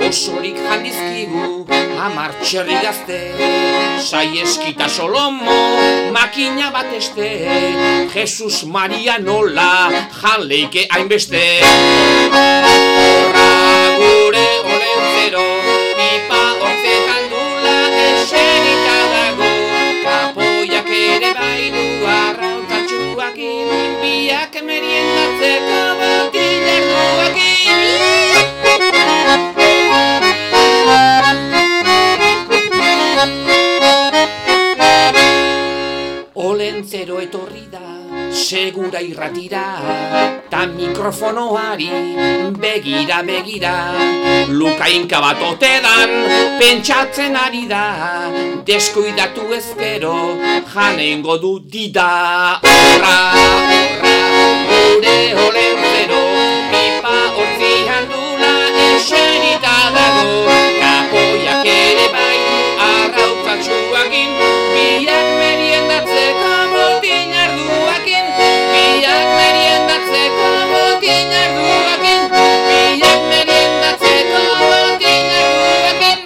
osorik jandizkigu hamar txerri gazte, Saieskita Solomo makina bat este, Jesus Maria nola janleike hainbeste. Horra gure olentzero, pipa hortzetan dula eserita dago, kapoiak ere bai du arrautatxuakin, biak meriendatzeko botilak duakin. Olentzero etorri da, segura irratira, ta mikrofonoari begira begira, lukainka bat otedan pentsatzen ari da, deskuidatu ezkero janengo du dida. Horra, horra, gure olentzero, pipa hortzian dula eserita dago, kapoiak ere bai arrautzatxuakin, biak meriendatzeko botin arduakin, biak meriendatzeko botin arduakin, biak meriendatzeko botin arduakin.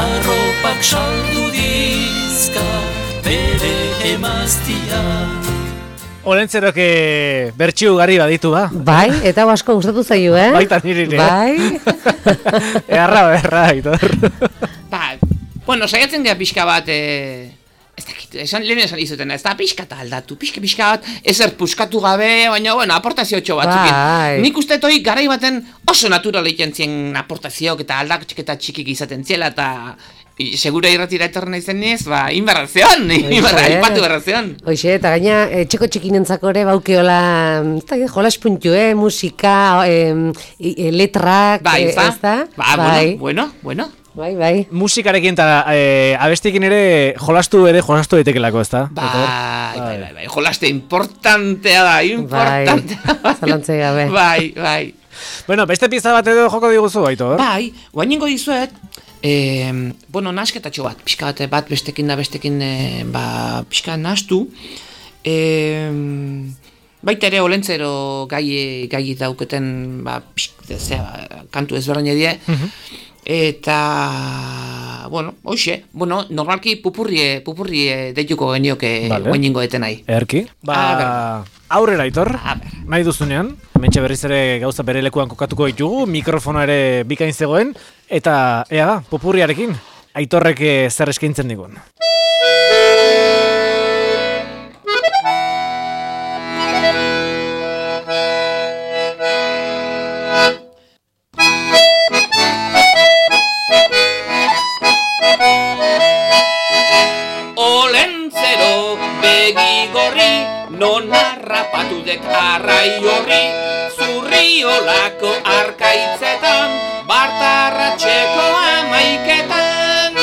Arropak saldu dizka bere emaztia. Olentzerok bertxiu garri baditu, ba? Bai, eta asko gustatu zaio, eh? Baita niri, eh? Bai. Earra, berra, Aitor. Ba, bueno, saiatzen dira pixka bat, eh, ez dakit, esan, lehen esan izuten, ez da pixka eta aldatu, pixka pixka bat, ezer puskatu gabe, baina, bueno, aportazio txo batzukin. Bai. Nik uste toi garai baten oso natural egiten zien aportazioak eta aldak eta txikik izaten ziela, eta segura irratira etorren izen niz, ba, inbarrazion, inbarra, aipatu barrazion. Hoxe, eta gaina, txeko txikinentzako ere baukeola, jolas puntu, eh, musika, eh, letrak, bai, eh, ez da? Ba, bai. bueno, bueno, bueno. Bai, bai. Musikarekin eta eh, abestikin ere jolastu ere jolastu daitekelako, ez da? Bai, bai, bai, bai, jolaste importantea da, importantea. Bai, zalantzei gabe. Bai, bai. Bueno, beste pizza bat edo joko diguzu, Aitor? Bai, guainengo dizuet, eh, bueno, nasketatxo bat, pixka bat, bat bestekin da bestekin, eh, ba, pixka nastu, eh, baita ere olentzero gai, gai dauketen, ba, pixka, zera, kantu ezberdin edie, uh-huh. Eta, bueno, hoxe, bueno, normalki pupurrie, pupurrie deituko genioke Vale. guainingo eten nahi. Erki. Ba, aurrera Aitor, nahi duzunean, hementxe berriz ere gauza bere lekuan kokatuko ditugu, mikrofono ere bikain zegoen, eta ea da, pupurriarekin, Aitorrek eh, zer eskaintzen digun. Olentzero begi gorri, non harrapatu dek arrai horri, zurriolako arkaitzetan, bartarratxeko amaiketan.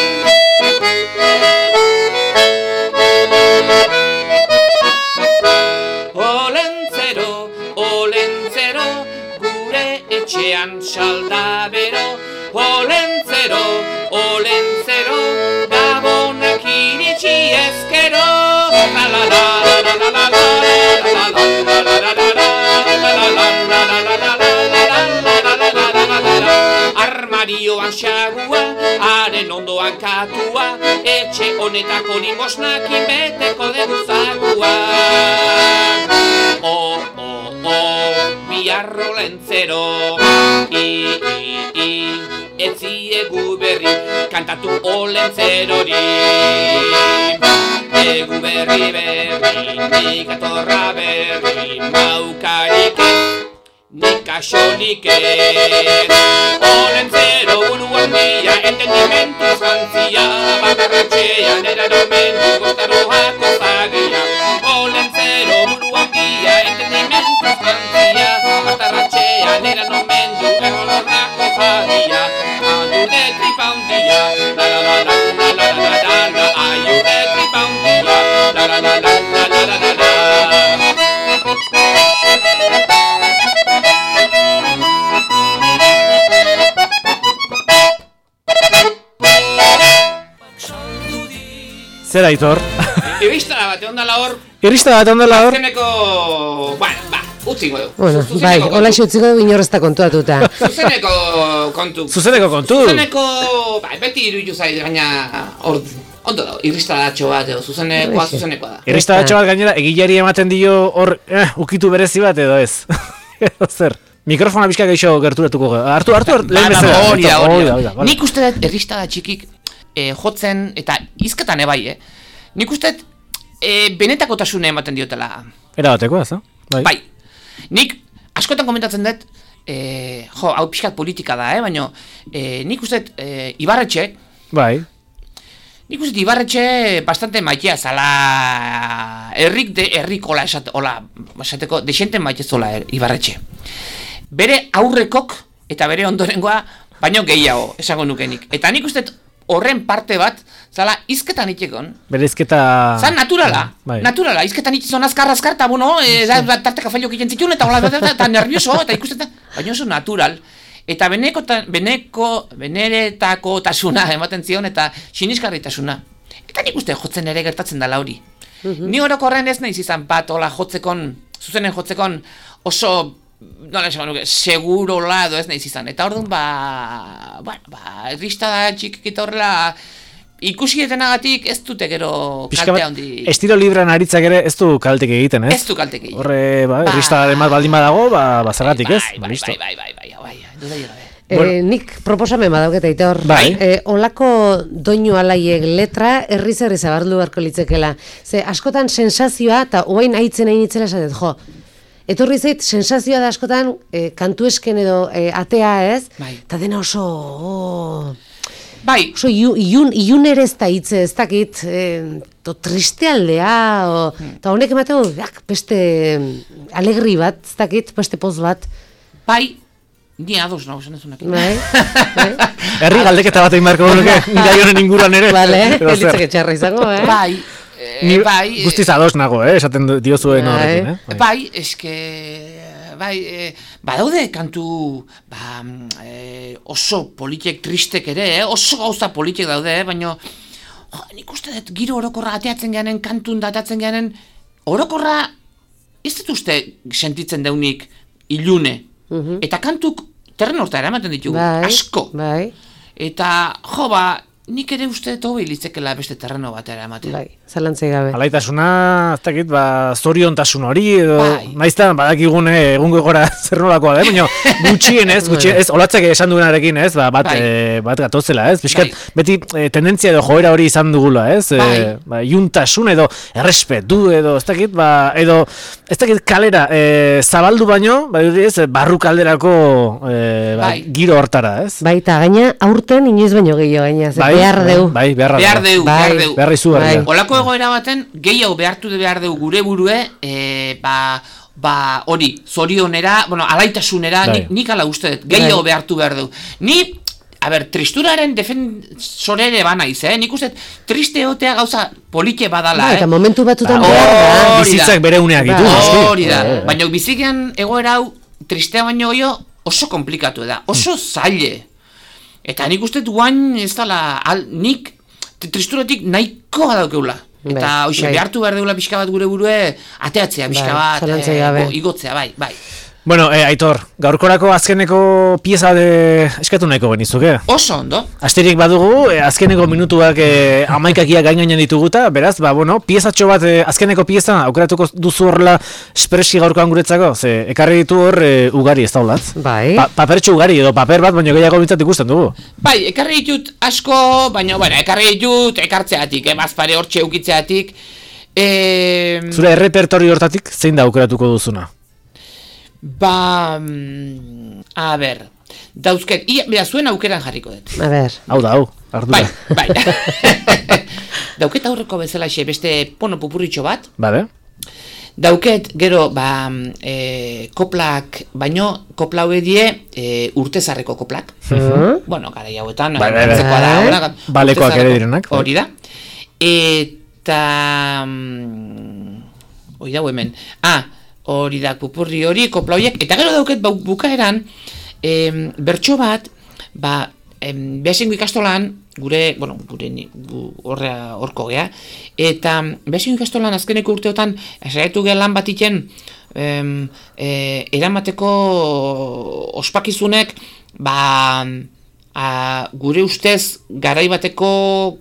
Olentzero, olentzero, gure etxean saldabero, olentzero, olentzero, gabonak iritsi ezkero. La la la la la la la la la armarioan xagua, haren ondoan katua, etxe honetako limosnakin beteko deguzakua. O, o, o, biarro lentzero, i, i, i, etziegu berri, kantatu olentzerori. Egu berri berri, nik atorra berri, maukarik ez, nik asolik ez. Olentzero buruan dia, entendimentu zantzia, bakarratxean eranomendu gostaroako zagia. Olentzero buruan dia, entendimentu zantzia, bakarratxean eranomendu errolorako zagia. Andu de tripa un dia, la la la la la la la la la, ayu de tripa un dia, la la la la la la la la la. Zer Aitor? Iristara bat, egon dala hor. Iristara bat ondela hor? Azkeneko, bueno, ba, utzingo du. Bueno, Zuzeneko bai, kontu. hola xutziko du inorrezta kontuatuta. Zuzeneko kontu. Zuzeneko kontu? Zuzeneko, bai, beti iruditu zait, gaina, hor, ondo da, irristaratxo bat, edo, zuzenekoa, zuzenekoa da. Irristaratxo bat gainera, egilari ematen dio hor, eh, ukitu berezi bat edo ez? Edo zer? Mikrofona bizka gehiago gerturatuko gara. Hartu, hartu, hartu, lehen Ba, ba, bezala. hori da, Aitor, hori hori da. da, hori da. Nik uste dut erristada txikik eh, jotzen, eta izketan ebai, eh? Nik uste dut eh, benetakotasune ematen diotela. Era bateko, ez da? Bai. Bai, nik askotan komentatzen dut, eh, jo, hau pixkat politika da, eh? Baina eh, nik uste dut eh, Ibarretxe, Bai. nik uste dut Ibarretxe bastante maitea zala, herrik de herrik ola esate, ola, esateko, desente maite zola er, Ibarretxe. Bere aurrekok eta bere ondorengoa baino gehiago, esango nukenik. Eta nik uste dut horren parte bat, zala, izketan itekon. Berezketa... Zan naturala, Bai. naturala, izketan itzon azkar azkar, eta bueno, e, da, da, tarteka failok egiten zituen, eta hola, eta, eta nervioso, eta ikusten da, baina oso natural. Eta beneko, ta, beneko, beneretako tasuna ematen zion, eta sinisgarritasuna. Eta nik uste jotzen ere gertatzen dela hori. Ni orokorren ez naiz izan bat, hola, jotzekon, zuzenen jotzekon oso... nola esan nuke, segurola edo ez naiz izan. Eta orduan, ba, bueno, ba, erristada txikikita horrela, ikusi etenagatik ez dute gero kalte handi. Estilo librean aritzak ere ez du kaltek egiten, ez? Ez du kaltek egiten. Horre, ba, Ba. erristadaren bat baldin badago, ba, ba zergatik, ez? Bai, Ba, bai, listo. bai, bai, bai, bai, bai, dudai gabe. Bueno. Eh, nik proposamen badauket Aitor. Bai. Eh, olako doinu alaiek letra herriz herri zabaldu beharko litzekela. Ze askotan sensazioa eta oain aitzen egin itzela esatet, jo. Etorri zait sensazioa da askotan eh, kantu esken edo eh, atea, ez? Bai. Eta dena oso oh, Bai, oso iun, ilun, ilun ere ez da hitze, ez dakit, eh, to triste aldea, o, eta honek emateko, jak, beste alegri bat, ez dakit, beste poz bat. bai, ni ados nago zen ezunak. Bai, bai. Herri galdeketa bat egin beharko genuke, gai honen inguruan ere. Vale, Edo zer. elitzak etxarra izango, eh? Bai, eh, Ni bai, guztiz ados nago, eh? Esaten du- diozuen Bai. horrekin, eh? Bai, bai, eske, bai, eh, badaude kantu, ba, eh, oso politek tristek ere, eh? Oso gauza politek daude, eh? Baina, jo, nik uste dut giro orokorra ateatzen geanen, kantun datatzen geanen, orokorra, ez dut uste sentitzen deunik ilune. Eta kantuk terren horta eramaten ditugu, Bai, asko. Bai. eta jo ba, nik ere uste dut hobi litzekela beste terreno batera ematen. Bai, zalantzai gabe. Alaitasuna, ez dakit, ba, zoriontasun hori, edo, Bai. naizta, badakigune egungo gora zer nolakoa da, baina gutxien ez, gutxien, ez, olatzak esan duenarekin, ez, ba, bat, Bai. e, bat gatozela, ez, pixkat, Bai. beti e, tendentzia edo joera hori izan dugula, ez, e, Bai. ba, iuntasun edo errespetu edo, ez dakit, ba, edo, ez dakit kalera, e, zabaldu baino, ba, ez, barru kalderako e, ba, Bai. giro hortara, ez? Baita, gaina, aurten inoiz baino gehiago gaina, ze Bai, behar bai, deu. Bai, beharra Behar deu, Bai. behar deu. Beharra izugarria. Bai. Olako egoera baten, gehiago behartu de behar dugu gure burue, e, ba, ba, hori, zorionera, bueno, alaitasunera, Bai. nik, nik ala uste dut, gehiago Bai. behartu behar dugu. Ni, a ber, tristuraren defensore ere bana iz, eh? Nik uste dut, triste egotea gauza polite badala, Bai, eta eh? momentu batzutan Ba, behar da. hori da. Bizitzak bere uneak ditu, Bai. noski. Hori da, Bai, bai. baina bizikian egoera hau, tristea baino gehiago, oso komplikatu da, oso zaile. Eta nik uste dut guain ez dala, al, nik tristuratik nahikoa daukeula. Eta Bai, hoxe, bai. behartu behar deula pixka bat gure burue, ateatzea pixka Bai, bat, zalantzai eh, gabe. go- igotzea, bai, bai. Bueno, eh, Aitor, gaurkorako azkeneko pieza de eskatu nahiko benizuke. Oso ondo. Asterik badugu, eh, azkeneko minutuak eh, amaikakia gain gainean dituguta, beraz, ba, bueno, piezatxo bat, eh, azkeneko pieza, aukeratuko duzu horrela espreski gaurkoan guretzako, ze, ekarri ditu hor eh, ugari ez daulatz. Bai. Pa, papertxo ugari, edo paper bat, baina gehiago bintzat ikusten dugu. Bai, ekarri ditut asko, baina, bueno, ekarri ditut ekartzeatik, eh, bazpare hortxe eukitzeatik. Eh, Zure errepertorio hortatik, zein da aukeratuko duzuna? ba, mm, a ber, dauzket, ia, bera, zuen aukeran jarriko dut. A ber. Hau da, hau, ardura. Bai, bai. Dauket aurreko bezala xe beste pono pupurritxo bat. Bale? Dauket, gero, ba, e, koplak, baino, kopla hau edie e, urtezarreko koplak. Mhm. Bueno, gara hauetan, Bai, bai, bai. antzekoa da, Bai. hona, Balekoak ere urtezarreko- direnak, bai. Hori da. Eta... mm, hori da, hemen. Ah, hori da, pupurri hori, kopla horiek. Eta gero dauket, ba, bukaeran, em, bertso bat, ba, em, behasengo ikastolan, gure, bueno, gure ni- gu- horra horko gea, eta behasengo ikastolan azkeneko urteotan, esaiatu gea lan bat iten, em, e, eramateko ospakizunek, ba, a, gure ustez, garai bateko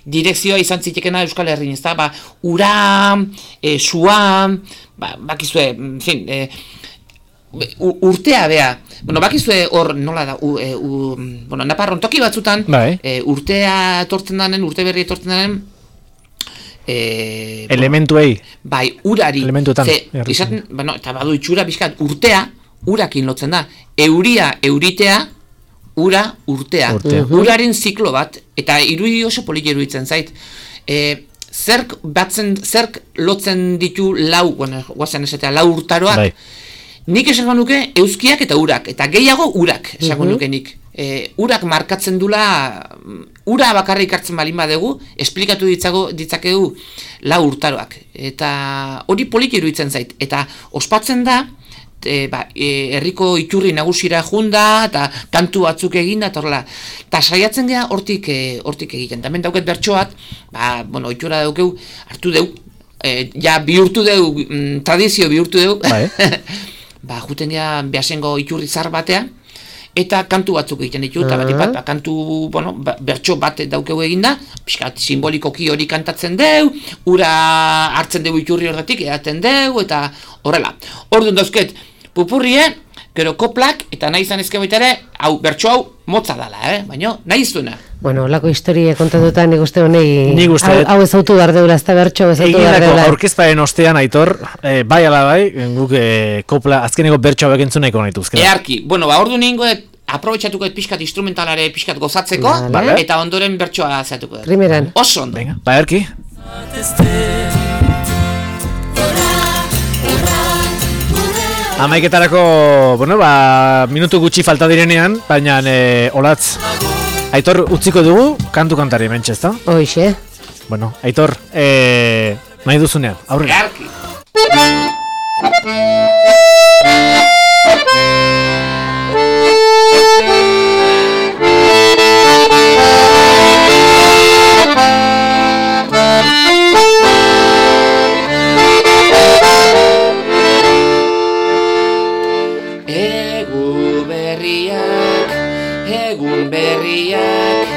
direkzioa izan zitekena Euskal Herrin, ez da, ba, ura, e, sua, ba, bakizue, en fin, e, u- urtea bea, bueno, bakizue hor nola da, u, e, u, bueno, Naparron toki batzutan, Bai. e, urtea etortzen danen, urte berri etortzen danen, e, Elementuei. bai, urari, Elementuetan, ze, jarri. izaten, bueno, eta badu itxura bizkat, urtea, urakin lotzen da, euria, euritea, ura, urtea, Urtea. uraren ziklo bat, eta irudi oso politi iruditzen zait, e, zerk batzen, zerk lotzen ditu lau, bueno, guazen esatea, lau urtaroak, Bai. nik esango nuke euskiak eta urak, eta gehiago urak esango nuke nik. E, urak markatzen dula, ura bakarrik hartzen balin badegu, esplikatu ditzago, ditzakegu lau urtaroak. Eta hori poliki iruditzen zait. Eta ospatzen da, e, ba, e, herriko iturri nagusira junda, eta kantu batzuk eginda, eta horrela. Eta saiatzen gea hortik, e, hortik egiten. Tamen dauket bertsoat, ba, bueno, itxura daukeu, hartu deu, e, ja bihurtu deu, mm, tradizio bihurtu deu, Bai. ba, juten gea behasengo iturri zar batean, eta kantu batzuk egiten ditu, eta bat bat, ba, kantu, bueno, ba, bertso bat daukegu eginda, pixkat simbolikoki hori kantatzen deu, ura hartzen deu iturri horretik, edaten deu, eta horrela. Orduan dauzket, pupurrie, gero koplak, eta nahi izan ezke baita ere, hau, bertso hau, motza dala, eh? Baina, nahi zuena. Bueno, lako historia kontatuta nik uste honei, Nik uste hau, dut. hau ezautu behar deula, ez da bertxo ezautu behar Eginako deula. aurkezparen ostean, Aitor, eh, bai ala bai, guk eh, kopla, azkeneko bertxo hauek entzuneko nahituzke. Earki, bueno, ba, ordu ningo, aprobetxatuko et pixkat instrumentalare pixkat gozatzeko, Vale. eta ondoren bertsoa zeatuko dut. Primeran. Oso ondo. Venga, ba, erki. Amaiketarako, bueno, ba, minutu gutxi falta direnean, baina e, olatz, Aitor utziko dugu, kantu kantari mentxe, ezta? Hoixe. Bueno, Aitor, e, nahi duzunean, aurrera. Earki. Egu berriak egun berriak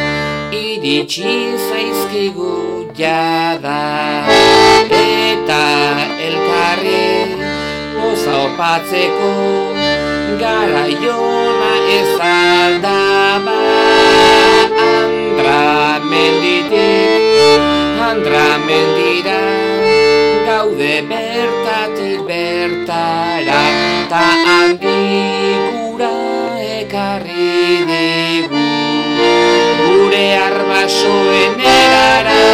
iritsi zaizkigu jada, eta elkarri poza opatzeko garaiona ez aldaba. Andra menditik, andra mendira, gaude bertatik bertara, ta handikura ekarri digu gure arbasoen erara,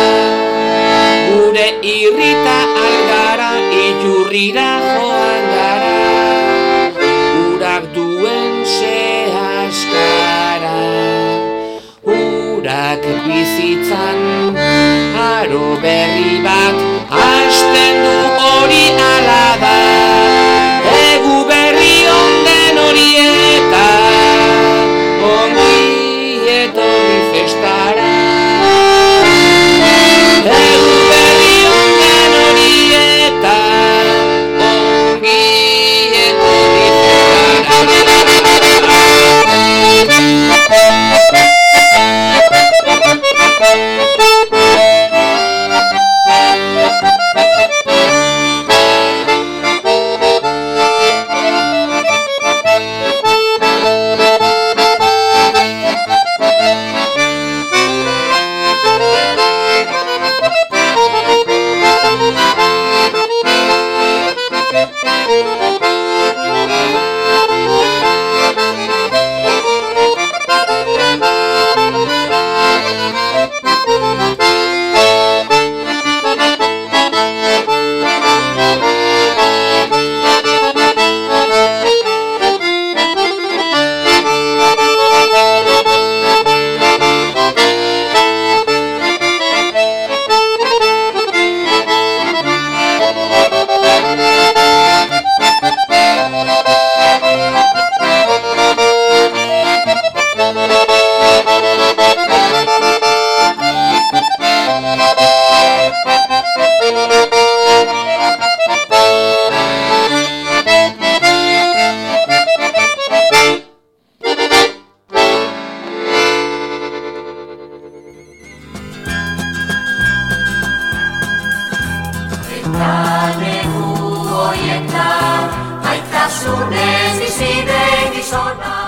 gure irrita algara, itxurrira joan gara, urak duen sehaskara, urak bizitzan aro berri bat hasten du hori ala da, egu berri onden horieta ongi etorri festara, egu berri onden horieta ongi etorri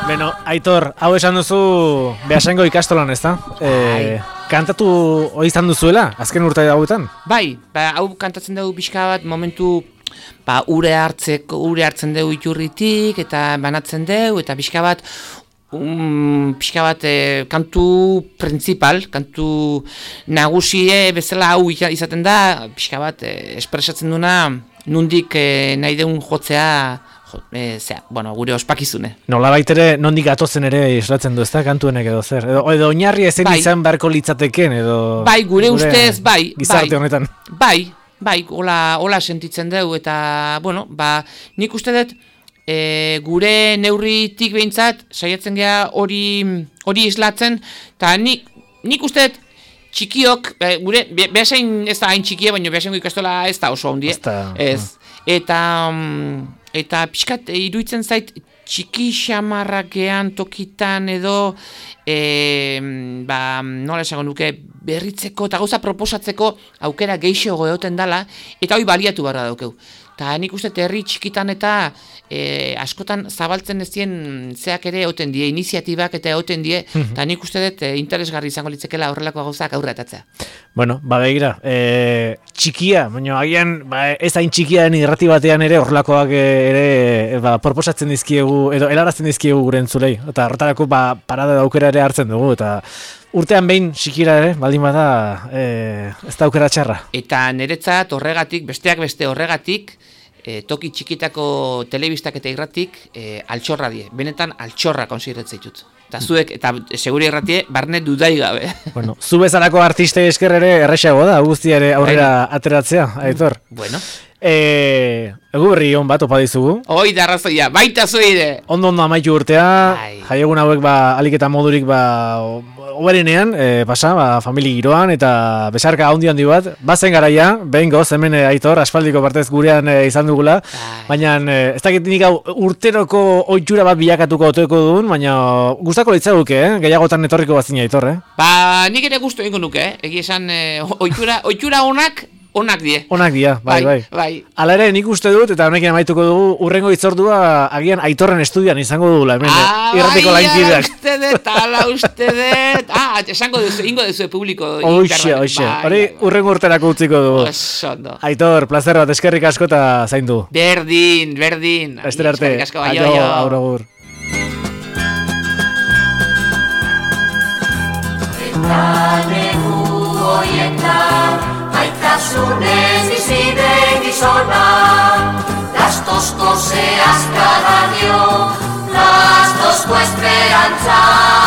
Beno, Aitor, hau esan duzu Beasaingo ikastolan, ezta? E, kantatu hori izan duzuela, azken urte hauetan? Bai, ba, hau kantatzen dugu pixka bat momentu ba, ure hartzeko, ure hartzen dugu iturritik eta banatzen dugu eta pixka bat um, pixka bat e, kantu principal, kantu nagusie bezala hau izaten da, pixka bat e, espresatzen duna nundik e, nahi deun jotzea. E, zera, bueno, gure ospakizune. Nola baitere, nondik atozen ere islatzen du, ez da, kantuenek edo zer? Edo, edo oinarri ezen bai. Izan beharko litzateken, edo... Bai, gure, gure ustez, bai. Gizarte bai, honetan. Bai, bai, hola, hola sentitzen dugu, eta, bueno, ba, nik uste dut, e, gure neurritik behintzat, saiatzen gea hori hori islatzen, eta nik, nik uste dut, txikiok, be, gure, be, behasain ez da hain txikia, baina behasaingo ikastola ez da oso handi, ez, eta... Um, Eta pixkat iruditzen zait txiki xamarrakean tokitan edo e, ba, nola esango nuke berritzeko eta gauza proposatzeko aukera geixo goeoten dala eta hori baliatu barra daukeu. Eta nik uste herri txikitan eta e, askotan zabaltzen ez dien zeak ere egoten die, iniziatibak eta egoten die, eta nik uste dut e, interesgarri izango litzekela horrelako gauzak aurretatzea. Bueno, ba begira, e, txikia, baina agian ba, ez hain txikia den irrati batean ere horrelakoak ere ba, proposatzen dizkiegu, edo helarazten dizkiegu gure entzulei. Eta horretarako ba, parada daukera ere hartzen dugu, eta urtean behin txikira ere, baldin bada, e, ez da aukera txarra. Eta niretzat horregatik, besteak beste horregatik, e, toki txikitako telebistak eta irratik e, altxorra die. Benetan altxorra konsideratzen ditut. Eta zuek, eta seguri irratie, barne dudai gabe. Bueno, zu bezalako artistei esker ere erresago da, guztia ere aurrera ateratzea, Aitor. Bueno. E, egu berri hon bat opa dizugu. Hoi da arrazoia, baita zuide. Ondo ondo amaitu urtea, jaiegun hauek ba, alik eta modurik ba, oberenean, e, pasa, ba, famili giroan, eta besarka handi handi bat, bazen garaia, behin goz, hemen e, Aitor, aspaldiko partez gurean e, izan dugula, baina e, ez dakit nik hau urteroko ohitura bat bilakatuko otoeko duen, baina gustako litzaguke, eh? Gehiagotan etorriko bazina Aitor, eh? Ba, nik ere gustu egingo nuke, eh? Egi esan, e, ohitura, ohitura onak, onak die. Onak dia, bai, bai. bai. Hala ere, nik uste dut, eta honekin amaituko dugu, urrengo hitzordua agian Aitorren estudian izango dugula, hemen, ah, irratiko bai, lainkideak. ala uste dut, ala uste dut. Ah, esango duzu, ingo duzu publiko. Oixe, oixe, hori urrengo urterako utziko dugu. Osondo. Aitor, placer bat, eskerrik asko eta zaindu. Berdin, berdin. Ester arte, aio, aur agur. Eta negu hoietan Aitasunez bizide gizona, las tosco seas cada dio, las tosco esperanza.